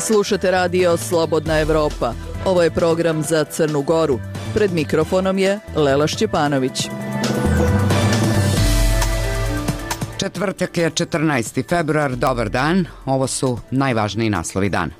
Slušate radio Slobodna Evropa. Ovo je program za Crnu Goru. Pred mikrofonom je Lela Šćepanović. Četvrtak je 14. februar, dobar dan. Ovo su najvažniji naslovi dana.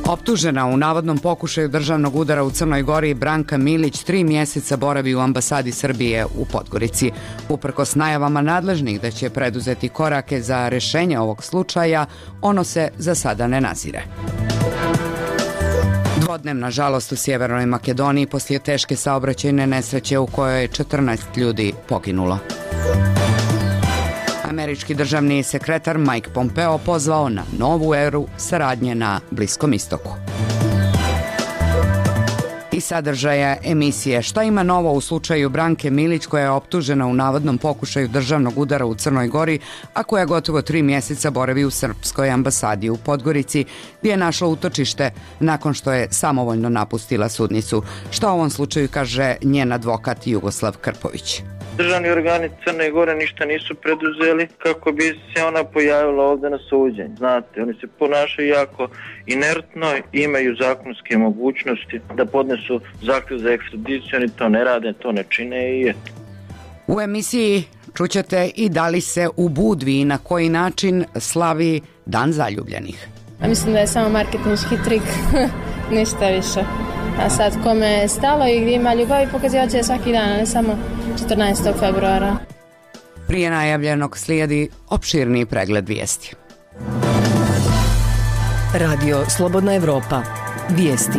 Optužena u navodnom pokušaju državnog udara u Crnoj Gori, Branka Milić 3 mjeseca boravi u ambasadi Srbije u Podgorici. Uprkos najavama nadležnih da će preduzeti korake za rešenje ovog slučaja, ono se za sada ne nazire. Dvodnevna žalost u Sjevernoj Makedoniji poslije teške saobraćajne nesreće u kojoj je 14 ljudi poginulo. Američki državni sekretar Mike Pompeo pozvao na novu eru saradnje na Bliskom istoku. I sadržaja emisije Šta ima novo u slučaju Branke Milić, koja je optužena u navodnom pokušaju državnog udara u Crnoj Gori, a koja gotovo 3 mjeseca boravi u srpskoj ambasadi u Podgorici, gdje je našla utočište nakon što je samovoljno napustila sudnicu. Šta u ovom slučaju kaže njen advokat Jugoslav Krpović? Državni organi Crne Gore ništa nisu preduzeli kako bi se ona pojavila ovdje na suđenju. Znate, oni se ponašaju jako inertno, imaju zakonske mogućnosti da podnesu zahtjev za ekstradiciju, oni to ne rade, to ne čine i eto. U emisiji čućete i da li se u Budvi i na koji način slavi Dan zaljubljenih. A mislim da je samo marketinški trik, ništa više. A sad kome je stalo i gdje ima ljubavi pokazivat će svaki dan, a ne samo 14. februara. Prije najavljenog slijedi opširniji pregled vijesti. Radio Slobodna Evropa. Vijesti.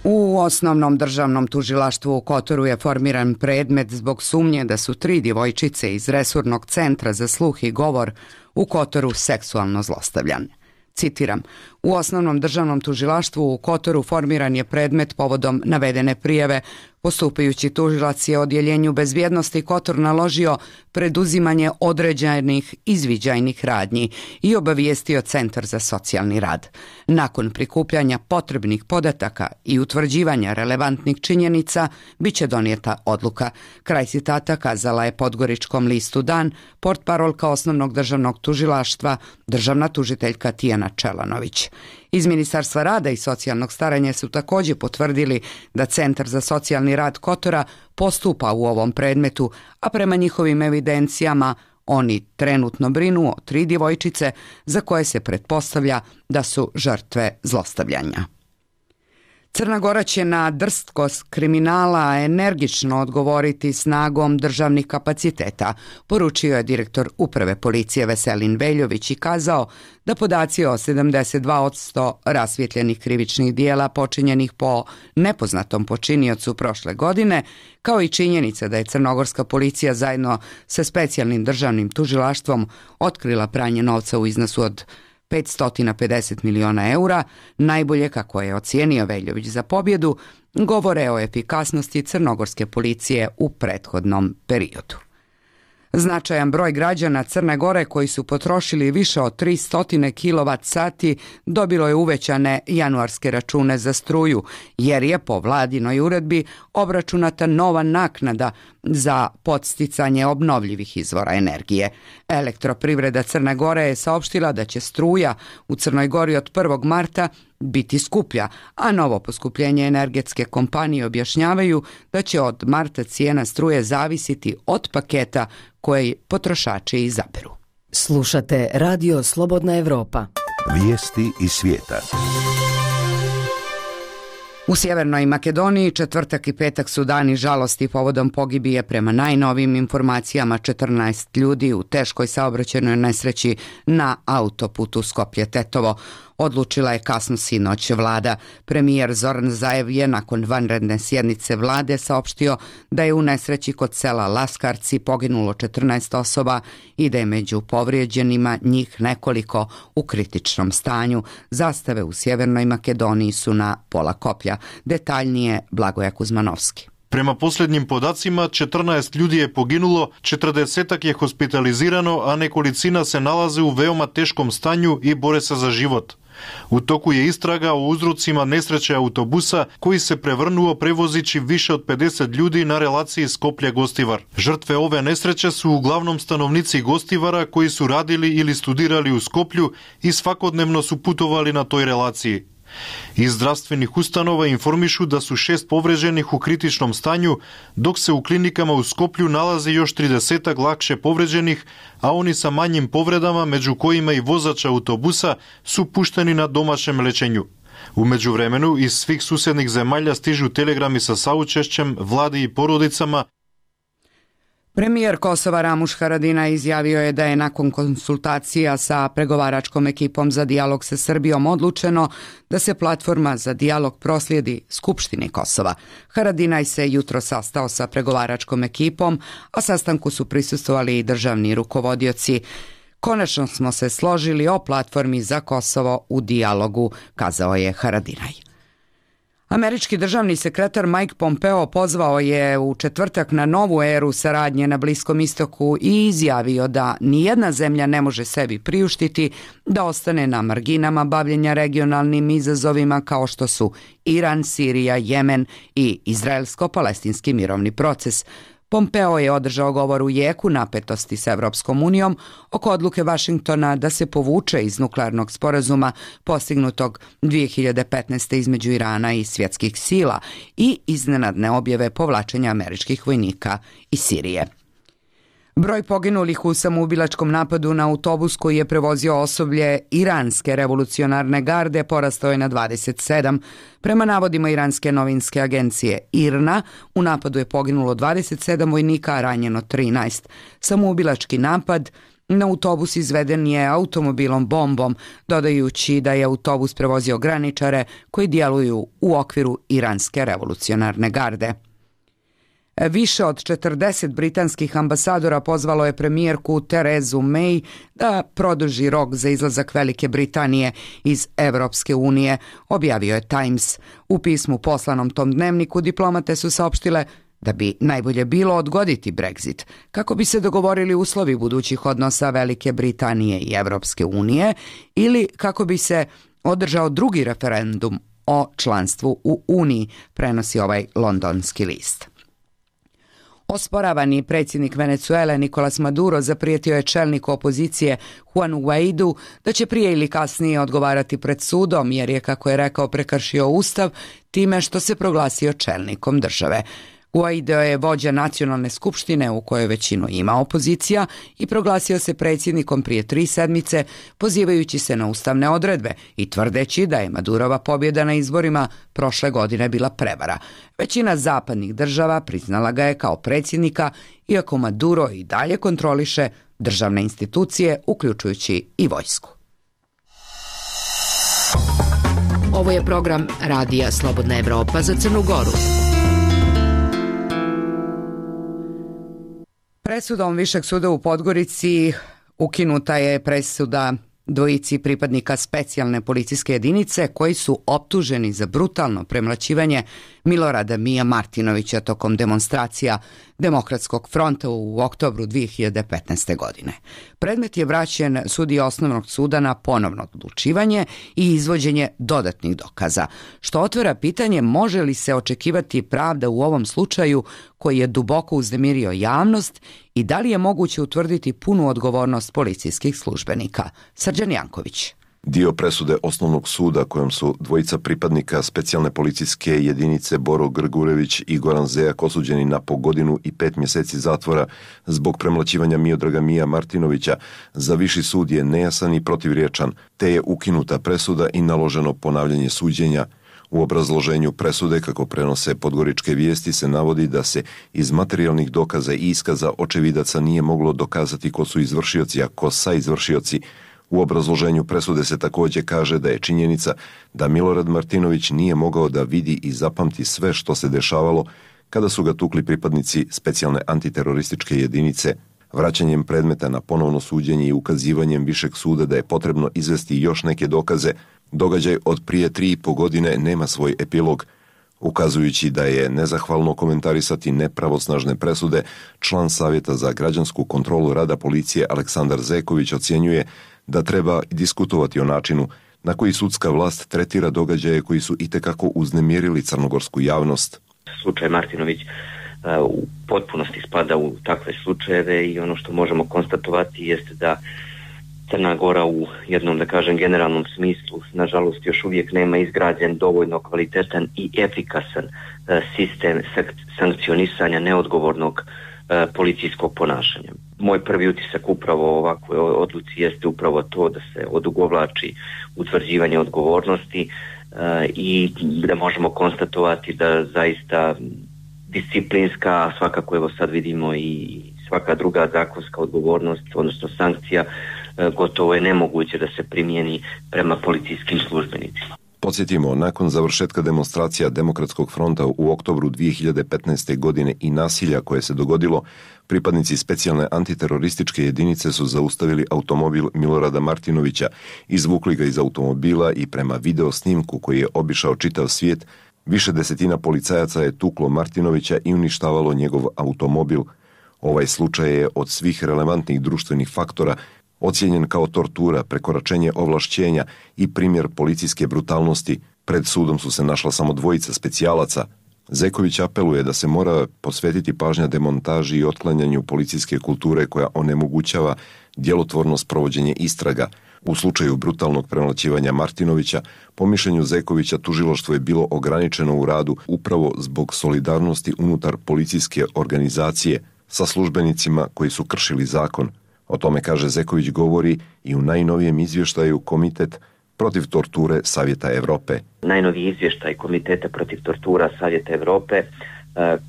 U osnovnom državnom tužilaštvu u Kotoru je formiran predmet zbog sumnje da su 3 djevojčice iz Resurnog centra za sluh i govor u Kotoru seksualno zlostavljane. Citiram, u osnovnom državnom tužilaštvu u Kotoru formiran je predmet povodom navedene prijave. Postupajući tužilac je odjeljenju bezbjednosti Kotor naložio preduzimanje određenih izviđajnih radnji i obavijestio Centar za socijalni rad. Nakon prikupljanja potrebnih podataka i utvrđivanja relevantnih činjenica, bit će donijeta odluka. Kraj citata kazala je Podgoričkom listu Dan portparolka osnovnog državnog tužilaštva, državna tužiteljka Tijana Čelanović. Iz Ministarstva rada i socijalnog staranja su također potvrdili da Centar za socijalni rad Kotora postupa u ovom predmetu, a prema njihovim evidencijama oni trenutno brinu o 3 djevojčice za koje se pretpostavlja da su žrtve zlostavljanja. Crna Gora će na drskost kriminala energično odgovoriti snagom državnih kapaciteta, poručio je direktor Uprave policije Veselin Veljović i kazao da podaci o 72% rasvjetljenih krivičnih dijela počinjenih po nepoznatom počiniocu prošle godine, kao i činjenica da je crnogorska policija zajedno sa specijalnim državnim tužilaštvom otkrila pranje novca u iznosu od 550 miliona eura, najbolje, kako je ocijenio Veljović za pobjedu, govore o efikasnosti crnogorske policije u prethodnom periodu. Značajan broj građana Crne Gore koji su potrošili više od 300 kWh dobilo je uvećane januarske račune za struju, jer je po vladinoj uredbi obračunata nova naknada za podsticanje obnovljivih izvora energije. Elektroprivreda Crne Gore je saopštila da će struja u Crnoj Gori od 1. marta biti skuplja, a novo poskupljenje energetske kompanije objašnjavaju da će od marta cijena struje zavisiti od paketa koji potrošači izaberu. Slušate Radio Slobodna Evropa. Vijesti iz svijeta. U Sjevernoj Makedoniji četvrtak i petak su dani žalosti povodom pogibije prema najnovijim informacijama 14 ljudi u teškoj saobraćajnoj nesreći na autoputu Skoplje-Tetovo. Odlučila je kasno sinoć vlada. Premijer Zoran Zaev je nakon vanredne sjednice vlade saopštio da je u nesreći kod sela Laskarci poginulo 14 osoba i da je među povrijeđenima njih nekoliko u kritičnom stanju. Zastave u Sjevernoj Makedoniji su na pola koplja. Detaljnije Blagoja Kuzmanovski. Prema posljednjim podacima, 14 ljudi je poginulo, 40 je hospitalizirano, a nekolicina se nalaze u veoma teškom stanju i bore se za život. U toku je istraga o uzrocima nesreće autobusa koji se prevrnuo prevozići više od 50 ljudi na relaciji Skoplje-Gostivar. Žrtve ove nesreće su uglavnom stanovnici Gostivara koji su radili ili studirali u Skoplju i svakodnevno su putovali na toj relaciji. Iz zdravstvenih ustanova informišu da su 6 povređenih u kritičnom stanju, dok se u klinikama u Skoplju nalazi još 30 lakše povređenih, a oni sa manjim povredama, među kojima i vozač autobusa, su pušteni na domaćem lečenju. U međuvremenu iz svih susjednih zemalja stižu telegrami sa saučešćem vladi i porodicama. Premijer Kosova Ramuš Haradinaj izjavio je da je nakon konsultacija sa pregovaračkom ekipom za dijalog sa Srbijom odlučeno da se platforma za dijalog proslijedi Skupštini Kosova. Haradinaj se jutro sastao sa pregovaračkom ekipom, a sastanku su prisustvovali i državni rukovodioci. Konačno smo se složili o platformi za Kosovo u dijalogu, kazao je Haradinaj. Američki državni sekretar Mike Pompeo pozvao je u četvrtak na novu eru saradnje na Bliskom istoku i izjavio da nijedna zemlja ne može sebi priuštiti da ostane na marginama bavljenja regionalnim izazovima kao što su Iran, Sirija, Jemen i izraelsko-palestinski mirovni proces. Pompeo je održao govor u jeku napetosti s Evropskom unijom oko odluke Vašingtona da se povuče iz nuklearnog sporazuma postignutog 2015. između Irana i svjetskih sila i iznenadne objave povlačenja američkih vojnika iz Sirije. Broj poginulih u samoubilačkom napadu na autobus koji je prevozio osoblje Iranske revolucionarne garde porastao je na 27. Prema navodima Iranske novinske agencije IRNA, u napadu je poginulo 27 vojnika, a ranjeno 13. Samoubilački napad na autobus izveden je automobilom bombom, dodajući da je autobus prevozio graničare koji djeluju u okviru Iranske revolucionarne garde. Više od 40 britanskih ambasadora pozvalo je premijerku Terezu May da produži rok za izlazak Velike Britanije iz Evropske unije, objavio je Times. U pismu poslanom tom dnevniku diplomate su saopštile da bi najbolje bilo odgoditi Brexit, kako bi se dogovorili uslovi budućih odnosa Velike Britanije i Evropske unije ili kako bi se održao drugi referendum o članstvu u Uniji, prenosi ovaj londonski list. Osporavani predsjednik Venezuele Nicolas Maduro zaprijetio je čelniku opozicije Juanu Guaidu da će prije ili kasnije odgovarati pred sudom jer je, kako je rekao, prekršio ustav time što se proglasio čelnikom države. Guaido je vođa nacionalne skupštine u kojoj većinu ima opozicija i proglasio se predsjednikom prije 3 sedmice, pozivajući se na ustavne odredbe i tvrdeći da je Madurova pobjeda na izborima prošle godine bila prevara. Većina zapadnih država priznala ga je kao predsjednika, iako Maduro i dalje kontroliše državne institucije, uključujući i vojsku. Ovo je program Radija Slobodna Evropa za Crnu Goru. Presudom Višeg suda u Podgorici ukinuta je presuda dvojici pripadnika specijalne policijske jedinice koji su optuženi za brutalno premlaćivanje Milorada Mija Martinovića tokom demonstracija Demokratskog fronta u oktobru 2015. godine. Predmet je vraćen sudiji osnovnog suda na ponovno odlučivanje i izvođenje dodatnih dokaza, što otvara pitanje može li se očekivati pravda u ovom slučaju koji je duboko uznemirio javnost i da li je moguće utvrditi punu odgovornost policijskih službenika. Srđan Janković. Dio presude osnovnog suda kojom su dvojica pripadnika specijalne policijske jedinice Boro Grgurević i Goran Zejak osuđeni na po 1 godinu i 5 mjeseci zatvora zbog premlaćivanja Miodraga Mija Martinovića za viši sud je nejasan i protivriječan, te je ukinuta presuda i naloženo ponavljanje suđenja. U obrazloženju presude, kako prenose podgoričke vijesti, se navodi da se iz materijalnih dokaza i iskaza očevidaca nije moglo dokazati ko su izvršioci, a ko saizvršioci. U obrazloženju presude se također kaže da je činjenica da Milorad Martinović nije mogao da vidi i zapamti sve što se dešavalo kada su ga tukli pripadnici specijalne antiterorističke jedinice. Vraćanjem predmeta na ponovno suđenje i ukazivanjem Višeg suda da je potrebno izvesti još neke dokaze, događaj od prije 3,5 godine nema svoj epilog. Ukazujući da je nezahvalno komentarisati nepravosnažne presude, član Savjeta za građansku kontrolu rada policije Aleksandar Zeković ocjenjuje da treba diskutovati o načinu na koji sudska vlast tretira događaje koji su itekako uznemirili crnogorsku javnost. Slučaj Martinović u potpunosti spada u takve slučajeve i ono što možemo konstatovati jeste da Crna Gora u jednom, da kažem, generalnom smislu, nažalost, još uvijek nema izgrađen dovoljno kvalitetan i efikasan sistem sankcionisanja neodgovornog policijskog ponašanja. Moj prvi utisak upravo o ovakvoj odluci jeste upravo to da se odugovlači utvrđivanje odgovornosti i da možemo konstatovati da zaista disciplinska, svakako evo sad vidimo i svaka druga zakonska odgovornost, odnosno sankcija, gotovo je nemoguće da se primijeni prema policijskim službenicima. Podsjetimo, nakon završetka demonstracija Demokratskog fronta u oktobru 2015. godine i nasilja koje se dogodilo, pripadnici specijalne antiterorističke jedinice su zaustavili automobil Milorada Martinovića, izvukli ga iz automobila i prema video snimku koji je obišao čitav svijet, više desetina policajaca je tuklo Martinovića i uništavalo njegov automobil. Ovaj slučaj je od svih relevantnih društvenih faktora ocijenjen kao tortura, prekoračenje ovlašćenja i primjer policijske brutalnosti. Pred sudom su se našla samo dvojica specijalaca. Zeković apeluje da se mora posvetiti pažnja demontaži i otklanjanju policijske kulture koja onemogućava djelotvorno sprovođenje istraga. U slučaju brutalnog premlaćivanja Martinovića, po mišljenju Zekovića, tužilaštvo je bilo ograničeno u radu upravo zbog solidarnosti unutar policijske organizacije sa službenicima koji su kršili zakon. O tome, kaže Zeković, govori i u najnovijem izvještaju Komitet protiv torture Savjeta Evrope. Najnoviji izvještaj Komiteta protiv tortura Savjeta Evrope,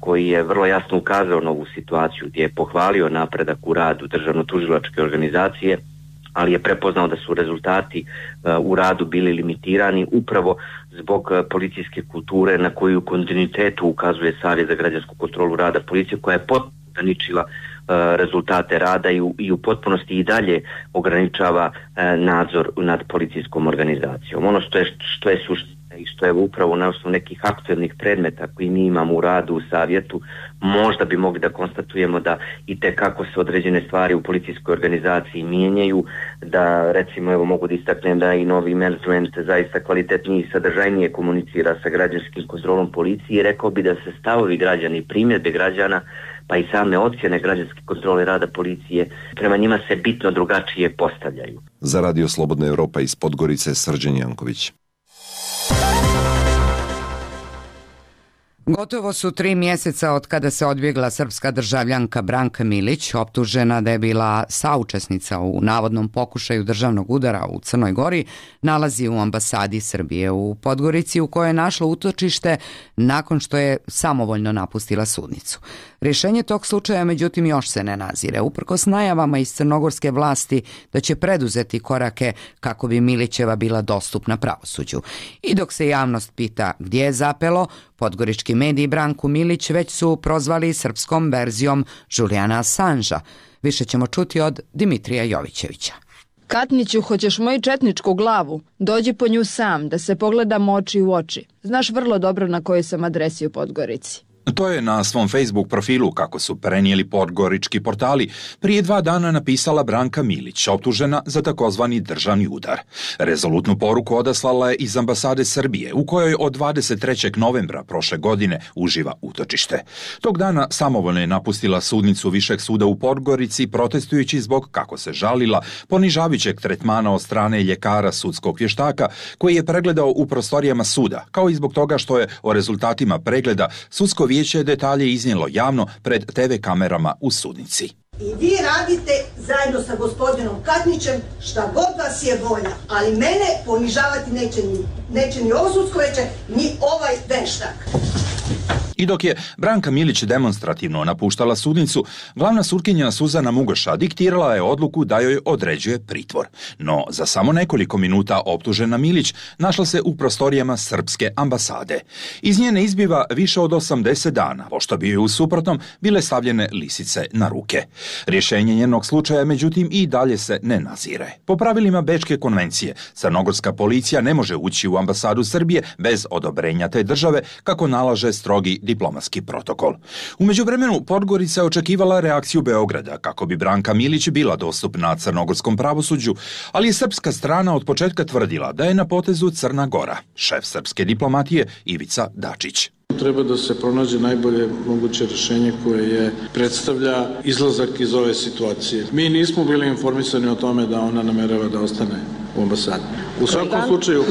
koji je vrlo jasno ukazao na ovu situaciju, gdje je pohvalio napredak u radu državno-tužilačke organizacije, ali je prepoznao da su rezultati u radu bili limitirani upravo zbog policijske kulture na koju u kontinuitetu ukazuje Savjet za građansku kontrolu rada policije, koja je potpuno ograničila rezultate rada i u potpunosti i dalje ograničava nadzor nad policijskom organizacijom. Ono što je suština i što je upravo na osnovu nekih aktuelnih predmeta koji mi imamo u radu u savjetu, možda bi mogli da konstatujemo da i tekako se određene stvari u policijskoj organizaciji mijenjaju, da recimo evo mogu da istaknem da i novi management zaista kvalitetnije i sadržajnije komunicira sa građanskim kontrolom policije i rekao bi da se stavovi građana i primjedbe građana pa i same ocjene građanske kontrole rada policije prema njima se bitno drugačije postavljaju. Za Radio Slobodna Evropa iz Podgorice, Srđan Janković. Gotovo su 3 mjeseca od kada se odbjegla srpska državljanka Branka Milić, optužena da je bila saučesnica u navodnom pokušaju državnog udara u Crnoj Gori, nalazi u ambasadi Srbije u Podgorici, u kojoj je našla utočište nakon što je samovoljno napustila sudnicu. Rješenje tog slučaja, međutim, još se ne nazire, uprkos najavama iz crnogorske vlasti da će preduzeti korake kako bi Milićeva bila dostupna pravosuđu. I dok se javnost pita gdje je zapelo, podgorički mediji Branku Milić već su prozvali srpskom verzijom Julijana Assangea. Više ćemo čuti od Dimitrija Jovićevića. Katniću, hoćeš moju četničku glavu? Dođi po nju sam, da se pogledamo oči u oči. Znaš vrlo dobro na kojoj sam adresi u Podgorici. To je na svom Facebook profilu, kako su prenijeli podgorički portali, prije 2 dana napisala Branka Milić, optužena za takozvani državni udar. Rezolutnu poruku odaslala je iz ambasade Srbije, u kojoj od 23. novembra prošle godine uživa utočište. Tog dana samovoljno je napustila sudnicu Višeg suda u Podgorici, protestujući zbog, kako se žalila, ponižavajućeg tretmana od strane ljekara sudskog vještaka, koji je pregledao u prostorijama suda, kao i zbog toga što je o rezultatima pregleda sudsko vijeće je detalje iznijelo javno pred TV kamerama u sudnici. I vi radite zajedno sa gospodinom Katnićem šta god vas je volja, ali mene ponižavati neće ni ovo sudsko vijeće, ni ovaj veštak. I dok je Branka Milić demonstrativno napuštala sudnicu, glavna sutkinja Suzana Mugoša diktirala je odluku da joj određuje pritvor. No, za samo nekoliko minuta optužena Milić našla se u prostorijama srpske ambasade. Iz nje ne izbiva više od 80 dana, pošto bi joj u suprotnom bile stavljene lisice na ruke. Rješenje njenog slučaja, međutim, i dalje se ne nazire. Po pravilima Bečke konvencije, crnogorska policija ne može ući u ambasadu Srbije bez odobrenja te države, kako nalaže strogi diplomatski protokol. U međuvremenu Podgorica je očekivala reakciju Beograda kako bi Branka Milić bila dostupna crnogorskom pravosuđu, ali je srpska strana od početka tvrdila da je na potezu Crna Gora. Šef srpske diplomatije Ivica Dačić. Treba da se pronađe najbolje moguće rješenje koje predstavlja izlazak iz ove situacije. Mi nismo bili informisani o tome da ona namerava da ostane u ambasadi. U svakom slučaju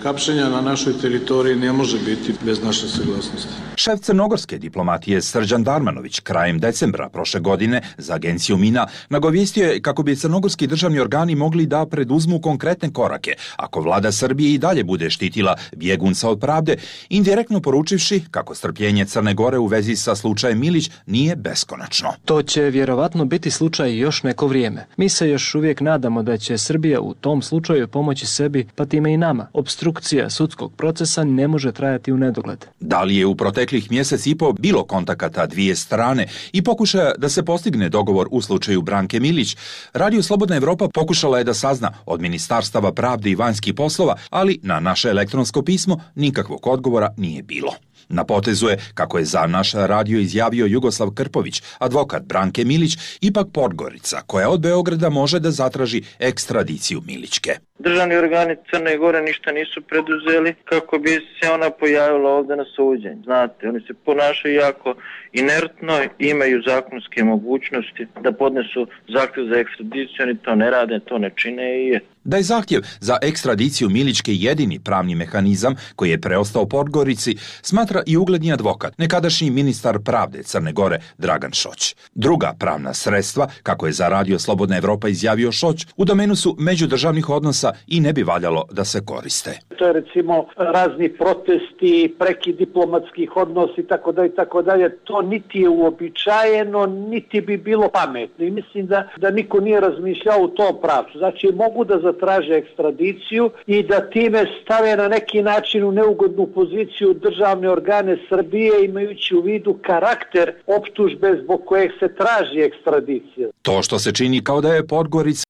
hapšenja na našoj teritoriji ne može biti bez naše saglasnosti. Šef crnogorske diplomatije Srđan Darmanović krajem decembra prošle godine za agenciju MINA nagovijestio je kako bi crnogorski državni organi mogli da preduzmu konkretne korake ako vlada Srbije i dalje bude štitila bjegunca od pravde, indirektno poručivši kako strpljenje Crne Gore u vezi sa slučajem Milić nije beskonačno. To će vjerovatno biti slučaj još neko vrijeme. Mi se još uvijek nadamo da će Srbija u tom slučaju pomoći sebi, pa time i nama. Opstrukcija sudskog procesa ne može trajati u nedogled. Da li je u proteklih mjesec i po bilo kontakata dvije strane i pokušaja da se postigne dogovor u slučaju Branke Milić, Radio Slobodna Evropa pokušala je da sazna od Ministarstava pravde i vanjskih poslova, ali na naše elektronsko pismo nikakvog odgovora nije bilo. Na potezu je, kako je za naš radio izjavio Jugoslav Krpović, advokat Branke Milić, ipak Podgorica, koja od Beograda može da zatraži ekstradiciju Milićke. Državni organi Crne Gore ništa nisu preduzeli kako bi se ona pojavila ovdje na suđenju. Znate, oni se ponašaju jako inertno, imaju zakonske mogućnosti da podnesu zahtjev za ekstradiciju, oni to ne rade, to ne čine i je. Da je zahtjev za ekstradiciju Milićke jedini pravni mehanizam koji je preostao Podgorici, smatra i ugledni advokat, nekadašnji ministar pravde Crne Gore Dragan Šoć. Druga pravna sredstva, kako je za Radio Slobodna Evropa izjavio Šoć, u domenu su međudržavnih odnosa i ne bi valjalo da se koriste. To je recimo razni protesti, prekid diplomatskih odnosa i tako dalje. To niti je uobičajeno, niti bi bilo pametno. I mislim da niko nije razmišljao u tom pravcu. Znači mogu da zatraže ekstradiciju i da time stave na neki način u neugodnu poziciju državne organe Srbije, imajući u vidu karakter optužbe zbog kojeg se traži ekstradicija. To što se čini kao da je Podgorica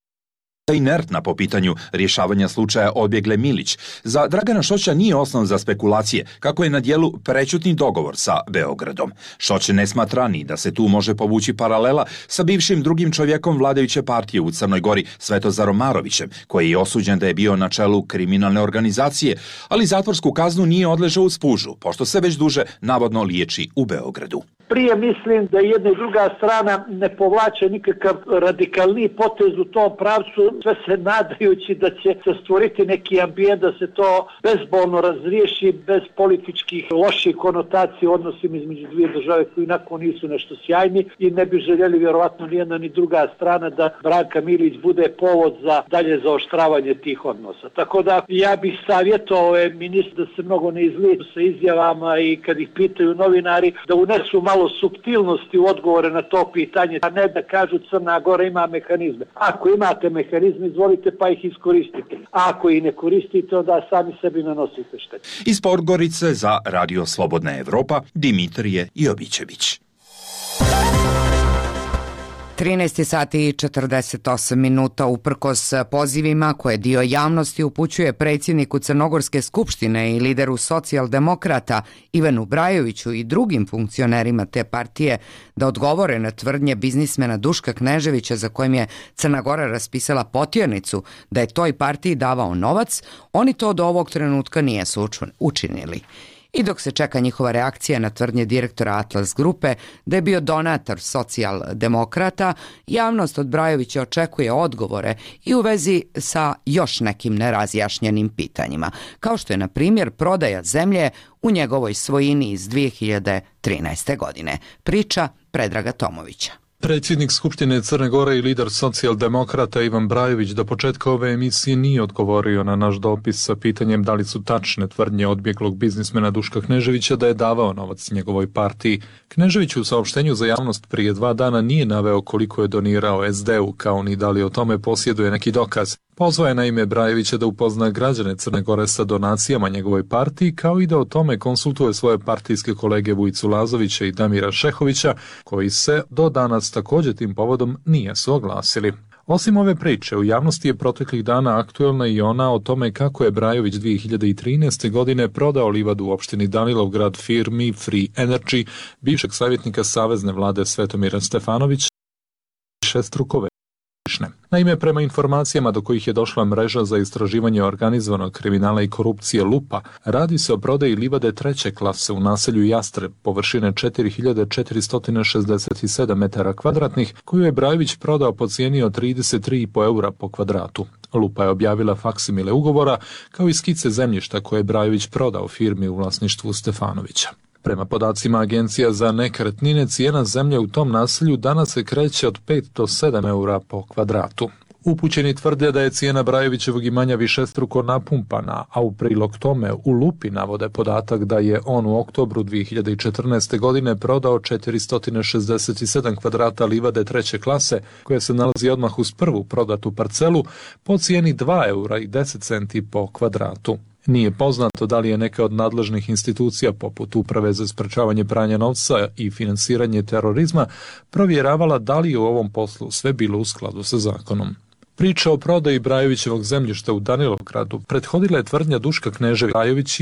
inertna po pitanju rješavanja slučaja odbjegle Milić, za Dragana Šoća nije osnov za spekulacije kako je na dijelu prećutni dogovor sa Beogradom. Šoć ne smatra ni da se tu može povući paralela sa bivšim drugim čovjekom vladajuće partije u Crnoj Gori Svetozarom Marovićem, koji je osuđen da je bio na čelu kriminalne organizacije, ali zatvorsku kaznu nije odležao u Spužu, pošto se već duže navodno liječi u Beogradu. Prije mislim da jedna i druga strana ne povlače nikakav radikalni potez u tom pravcu, sve se nadajući da će se stvoriti neki ambijent da se to bezbolno razriješi bez političkih loših konotacija u odnosima između dvije države koji inako nisu nešto sjajni i ne bi željeli vjerovatno ni jedna ni druga strana da Branka Milić bude povod za dalje zaoštravanje tih odnosa. Tako da ja bih savjetovao ministru da se mnogo ne izlijeću sa izjavama i kad ih pitaju novinari da unesu malo suptilnosti u odgovore na to pitanje, a ne da kažu Crna Gora ima mehanizme. Ako imate mehanizme, izvolite pa ih iskoristite. A ako ih ne koristite, onda sami sebi nanosite štetu. Iz Podgorice za Radio Slobodna Evropa, Dimitrije Jovićević. 13 sati i 48 minuta uprkos pozivima koje dio javnosti upućuje predsjedniku Crnogorske skupštine i lideru socijaldemokrata Ivanu Brajoviću i drugim funkcionerima te partije da odgovore na tvrdnje biznismena Duška Kneževića za kojim je Crna Gora raspisala potjernicu da je toj partiji davao novac, oni to do ovog trenutka nisu učinili. I dok se čeka njihova reakcija na tvrdnje direktora Atlas grupe da je bio donator socijaldemokrata, javnost od Brajovića očekuje odgovore i u vezi sa još nekim nerazjašnjenim pitanjima, kao što je na primjer prodaja zemlje u njegovoj svojini iz 2013. godine. Priča Predraga Tomovića. Predsjednik Skupštine Crne Gore i lider socijaldemokrata Ivan Brajović do početka ove emisije nije odgovorio na naš dopis sa pitanjem da li su tačne tvrdnje odbjeglog biznismena Duška Kneževića da je davao novac njegovoj partiji. Knežević u saopštenju za javnost prije 2 dana nije naveo koliko je donirao SD-u, kao ni da li o tome posjeduje neki dokaz. Pozvao je na ime Brajovića da upozna građane Crne Gore sa donacijama njegovoj partiji, kao i da o tome konsultuje svoje partijske kolege Vujicu Lazovića i Damira Šehovića, koji se do danas također tim povodom nisu oglasili. Osim ove priče, u javnosti je proteklih dana aktuelna i ona o tome kako je Brajović 2013. godine prodao livadu u opštini Danilovgrad firmi Free Energy, bivšeg savjetnika Savezne vlade Svetomira Stefanovića, šestruko. Naime, prema informacijama do kojih je došla mreža za istraživanje organizovanog kriminala i korupcije Lupa, radi se o prodaji livade treće klase u naselju Jastreb, površine 4467 metara kvadratnih, koju je Brajović prodao po cijeni od 33,5 eura po kvadratu. Lupa je objavila faksimile ugovora, kao i skice zemljišta koje je Brajović prodao firmi u vlasništvu Stefanovića. Prema podacima Agencija za nekretnine, cijena zemlje u tom naselju danas se kreće od 5 do 7 eura po kvadratu. Upućeni tvrde da je cijena Brajovićevog imanja višestruko napumpana, a u prilog tome u Lupi navode podatak da je on u oktobru 2014. godine prodao 467 kvadrata livade treće klase, koja se nalazi odmah uz prvu prodatu parcelu, po cijeni 2 eura i 10 centi po kvadratu. Nije poznato da li je neka od nadležnih institucija poput Uprave za sprečavanje pranja novca i finansiranje terorizma provjeravala da li je u ovom poslu sve bilo u skladu sa zakonom. Priča o prodaji Brajovićevog zemljišta u Danilovgradu prethodila je tvrdnja Duška Kneževića Brajović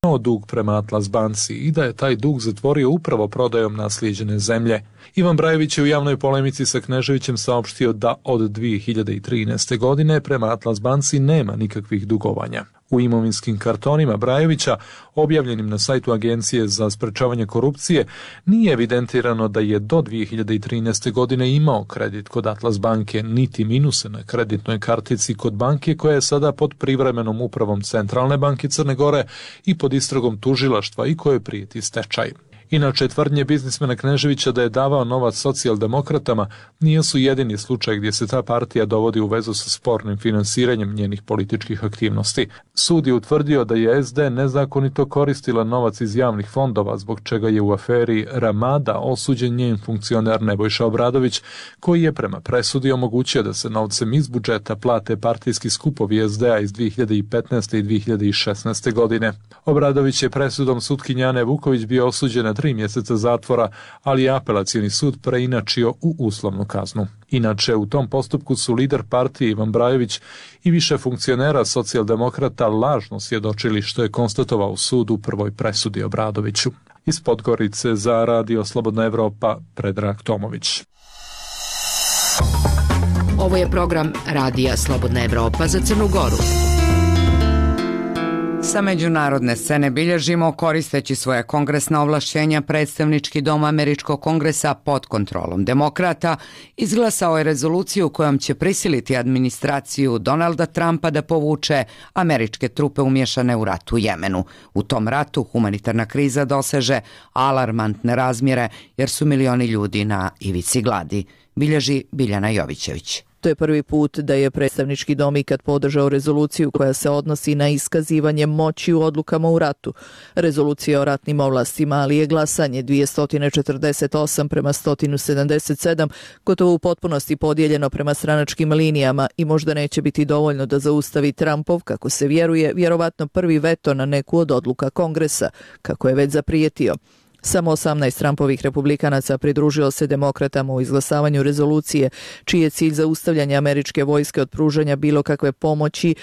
imao dug prema Atlas banci i da je taj dug zatvorio upravo prodajom naslijeđene zemlje. Ivan Brajović je u javnoj polemici sa Kneževićem saopštio da od 2013. godine prema Atlas banci nema nikakvih dugovanja. U imovinskim kartonima Brajovića, objavljenim na sajtu Agencije za sprečavanje korupcije, nije evidentirano da je do 2013. godine imao kredit kod Atlas banke, niti minuse na kreditnoj kartici kod banke koja je sada pod privremenom upravom Centralne banke Crne Gore i pod istragom tužilaštva i kojoj prijeti stečaj. Inače, tvrdnje biznismena Kneževića da je davao novac socijaldemokratama nije su jedini slučaj gdje se ta partija dovodi u vezu sa spornim finansiranjem njenih političkih aktivnosti. Sud je utvrdio da je SD nezakonito koristila novac iz javnih fondova, zbog čega je u aferi Ramada osuđen njen funkcioner Nebojša Obradović, koji je prema presudi omogućio da se novcem iz budžeta plate partijski skupovi SDA iz 2015. i 2016. godine. Obradović je presudom sutkinje Ane Vuković bio osuđen na 3 mjeseca zatvora, ali je apelacioni sud preinačio u uslovnu kaznu. Inače, u tom postupku su lider partije Ivan Brajović i više funkcionera socijaldemokrata lažno svjedočili, što je konstatovao sud u prvoj presudi Obradoviću. Iz Podgorice za Radio Slobodna Evropa, Predrag Tomović. Ovo je program Radija Slobodna Evropa za Crnu Goru. Sa međunarodne scene bilježimo, koristeći svoje kongresna ovlašćenja, predstavnički dom Američkog kongresa pod kontrolom demokrata izglasao je rezoluciju kojom će prisiliti administraciju Donalda Trumpa da povuče američke trupe umješane u rat u Jemenu. U tom ratu humanitarna kriza doseže alarmantne razmjere jer su milioni ljudi na ivici gladi, bilježi Biljana Jovićević. To je prvi put da je predstavnički dom ikad podržao rezoluciju koja se odnosi na iskazivanje moći u odlukama u ratu. Rezolucija o ratnim ovlastima, ali je glasanje 248 prema 177 gotovo u potpunosti podijeljeno prema stranačkim linijama i možda neće biti dovoljno da zaustavi Trumpov, kako se vjeruje, vjerovatno prvi veto na neku od odluka Kongresa, kako je već zaprijetio. Samo 18 Trumpovih republikanaca pridružilo se demokratama u izglasavanju rezolucije, čiji je cilj zaustavljanje američke vojske od pružanja bilo kakve pomoći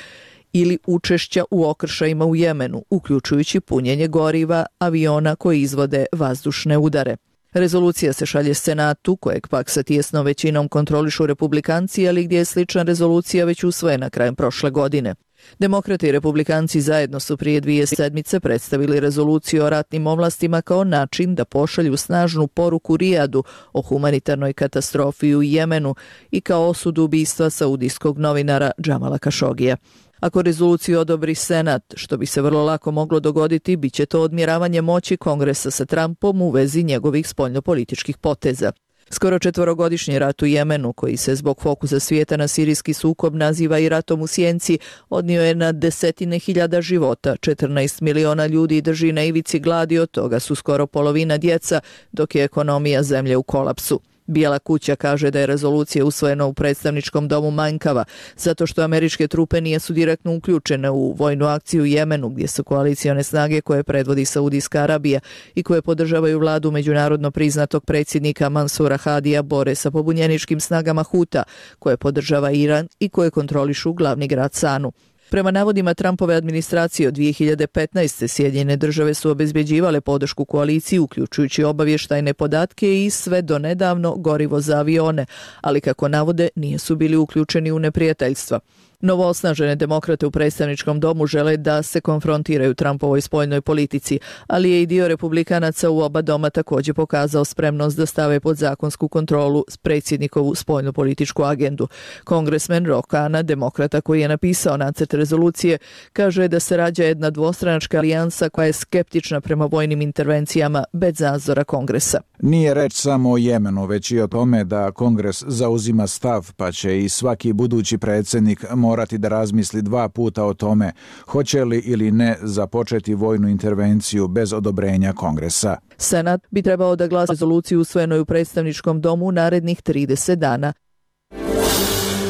ili učešća u okršajima u Jemenu, uključujući punjenje goriva aviona koji izvode vazdušne udare. Rezolucija se šalje Senatu, kojeg pak sa tijesnom većinom kontrolišu republikanci, ali gdje je slična rezolucija već usvojena krajem prošle godine. Demokrati i republikanci zajedno su prije 2 sedmice predstavili rezoluciju o ratnim ovlastima kao način da pošalju snažnu poruku Rijadu o humanitarnoj katastrofi u Jemenu i kao osudu ubistva saudijskog novinara Džamala Kašogija. Ako rezoluciju odobri Senat, što bi se vrlo lako moglo dogoditi, bit će to odmjeravanje moći Kongresa sa Trumpom u vezi njegovih spoljnopolitičkih poteza. Skoro 4-godišnji rat u Jemenu, koji se zbog fokusa svijeta na sirijski sukob naziva i ratom u sjenci, odnio je na desetine hiljada života, 14 miliona ljudi drži na ivici gladi, od toga su skoro polovina djeca, dok je ekonomija zemlje u kolapsu. Bijela kuća kaže da je rezolucija usvojena u predstavničkom domu manjkava, zato što američke trupe nisu direktno uključene u vojnu akciju u Jemenu, gdje su koalicione snage koje predvodi Saudijska Arabija i koje podržavaju vladu međunarodno priznatog predsjednika Mansura Hadija bore sa pobunjeničkim snagama Huta, koje podržava Iran i koje kontrolišu glavni grad Sanu. Prema navodima Trumpove administracije od 2015. Sjedinjene države su obezbeđivale podršku koaliciji, uključujući obavještajne podatke i sve do nedavno gorivo za avione, ali kako navode nisu bili uključeni u neprijateljstva. Novoosnažene demokrate u predstavničkom domu žele da se konfrontiraju Trumpovoj spoljnoj politici, ali je i dio republikanaca u oba doma također pokazao spremnost da stave pod zakonsku kontrolu predsjednikovu spoljnopolitičku agendu. Kongresmen Ro Khanna, demokrata koji je napisao nacrt rezolucije, kaže da se rađa jedna dvostranačka alijansa koja je skeptična prema vojnim intervencijama bez nadzora Kongresa. Nije reč samo o Jemenu, već i o tome da Kongres zauzima stav, pa će i svaki budući predsjednik morati da razmisli 2 puta o tome hoće li ili ne započeti vojnu intervenciju bez odobrenja Kongresa. Senat bi trebao da glasa rezoluciju usvojenoj u predstavničkom domu narednih 30 dana.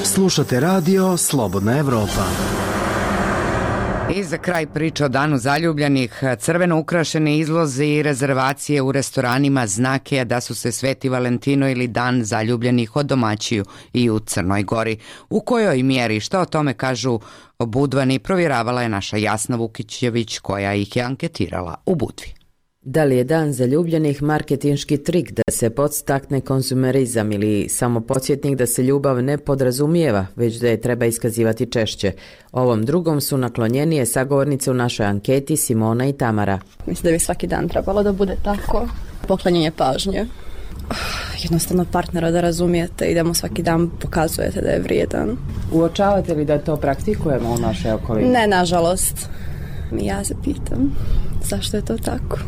Slušate radio Slobodna Evropa. I za kraj priča o Danu zaljubljenih, crveno ukrašeni izlozi i rezervacije u restoranima znak je da su se Sveti Valentino ili Dan zaljubljenih odomaćuju i u Crnoj Gori. U kojoj mjeri, šta o tome kažu Budvani, provjeravala je naša Jasna Vukićević koja ih je anketirala u Budvi. Da li je Dan zaljubljenih marketinški trik da se podstakne konzumerizam ili samo podsjetnik da se ljubav ne podrazumijeva, već da je treba iskazivati češće? Ovom drugom su naklonjenije sagovornice u našoj anketi Simona i Tamara. Mislim da bi svaki dan trebalo da bude tako. Poklanjanje pažnje. Jednostavno partnera da razumijete i da mu svaki dan pokazujete da je vrijedan. Uočavate li da to praktikujemo u našoj okolini? Ne, nažalost. Ja se pitam zašto je to tako.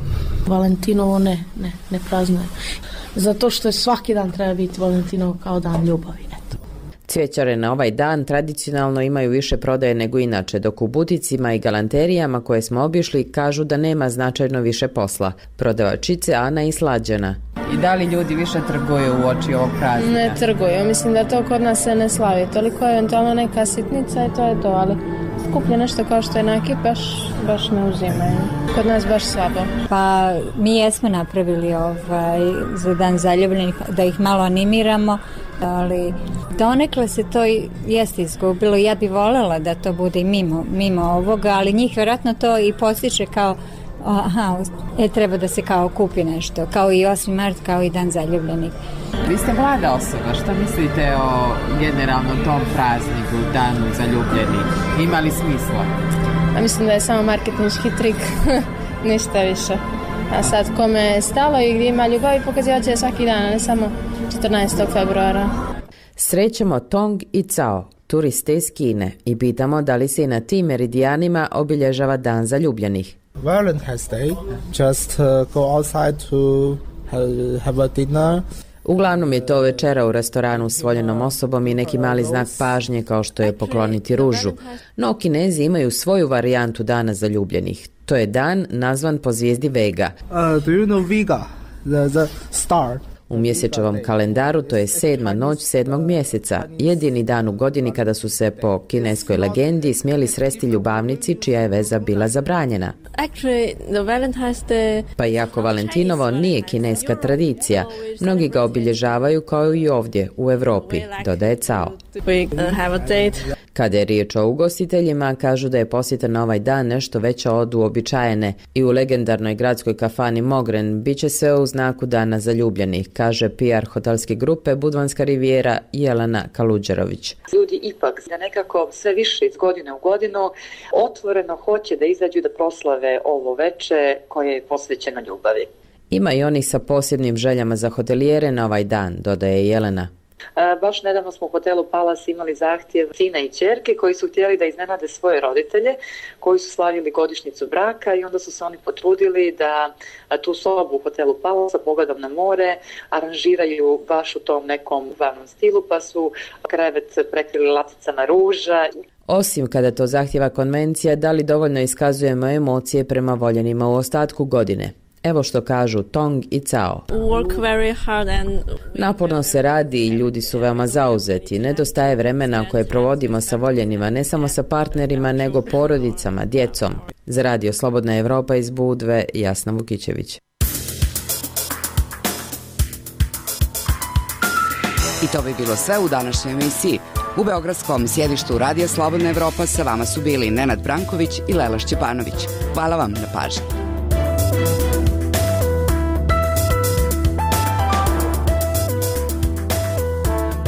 Valentinovo ne praznuje. Zato što je svaki dan treba biti Valentinovo kao dan ljubavi. Eto. Cvjećare na ovaj dan tradicionalno imaju više prodaje nego inače, dok u buticima i galanterijama koje smo obišli kažu da nema značajno više posla. Prodavačice Ana i Slađana. I da li ljudi više trguju u oči ovog praznika? Ne trguju, mislim da to kod nas se ne slavi. Toliko je eventualno neka sitnica i to je to, ali skuplje nešto kao što je neki baš ne uzimaju. Kod nas baš slabo. Pa mi jesmo napravili za Dan zaljubljenih da ih malo animiramo, ali donekle se to jeste izgubilo. Ja bi voljela da to bude mimo ovoga, ali njih vjerojatno to i postiče kao treba da se kao kupi nešto, kao i 8. mart, kao i Dan zaljubljenih. Vi ste mlada osoba, što mislite o generalno tom prazniku, Danu zaljubljenih? Ima li smisla? Ja mislim da je samo marketinški trik, ništa više. A sad kome je stalo i gdje ima ljubavi pokazivat će svaki dan, a ne samo 14. februara. Srećemo Tong i Cao, turiste iz Kine, i pitamo da li se i na tim meridijanima obilježava Dan zaljubljenih. Valentine's Day, just go outside to have a dinner. Uglavnom je to večera u restoranu s voljenom osobom i neki mali znak pažnje kao što je pokloniti ružu. No, Kinezi imaju svoju varijantu Dana zaljubljenih. To je dan nazvan po zvijezdi Vega. Do you know Vega, the star? U mjesečevom kalendaru to je 7. noć 7. mjeseca, jedini dan u godini kada su se po kineskoj legendi smjeli sresti ljubavnici čija je veza bila zabranjena. Pa iako Valentinovo nije kineska tradicija, mnogi ga obilježavaju kao i ovdje u Europi, dodaje Cao. Kada je riječ o ugostiteljima, kažu da je posjeta na ovaj dan nešto veća od uobičajene i u legendarnoj gradskoj kafani Mogren bit će sve u znaku Dana zaljubljenih, kaže PR hotelske grupe Budvanska rivijera Jelena Kaluđerović. Ljudi ipak nekako sve više iz godine u godinu otvoreno hoće da izađu da proslave ovo veče koje je posvećeno ljubavi. Ima i onih sa posebnim željama za hotelijere na ovaj dan, dodaje Jelena. Baš nedavno smo u hotelu Palace imali zahtjev sina i ćerke koji su htjeli da iznenade svoje roditelje koji su slavili godišnjicu braka i onda su se oni potrudili da tu sobu u hotelu Palace pogledom na more aranžiraju baš u tom nekom glavnom stilu, pa su krevet prekrili laticama ruža. Osim kada to zahtjeva konvencija, da li dovoljno iskazujemo emocije prema voljenima u ostatku godine? Evo što kažu Tong i Cao. Naporno se radi i ljudi su veoma zauzeti. Nedostaje vremena koje provodimo sa voljenima, ne samo sa partnerima, nego porodicama, djecom. Za Radio Slobodna Evropa iz Budve, Jasna Vukićević. I to bi bilo sve u današnjoj emisiji. U beogradskom sjedištu Radija Slobodna Evropa sa vama su bili Nenad Branković i Lela Šćepanović. Hvala vam na pažnji.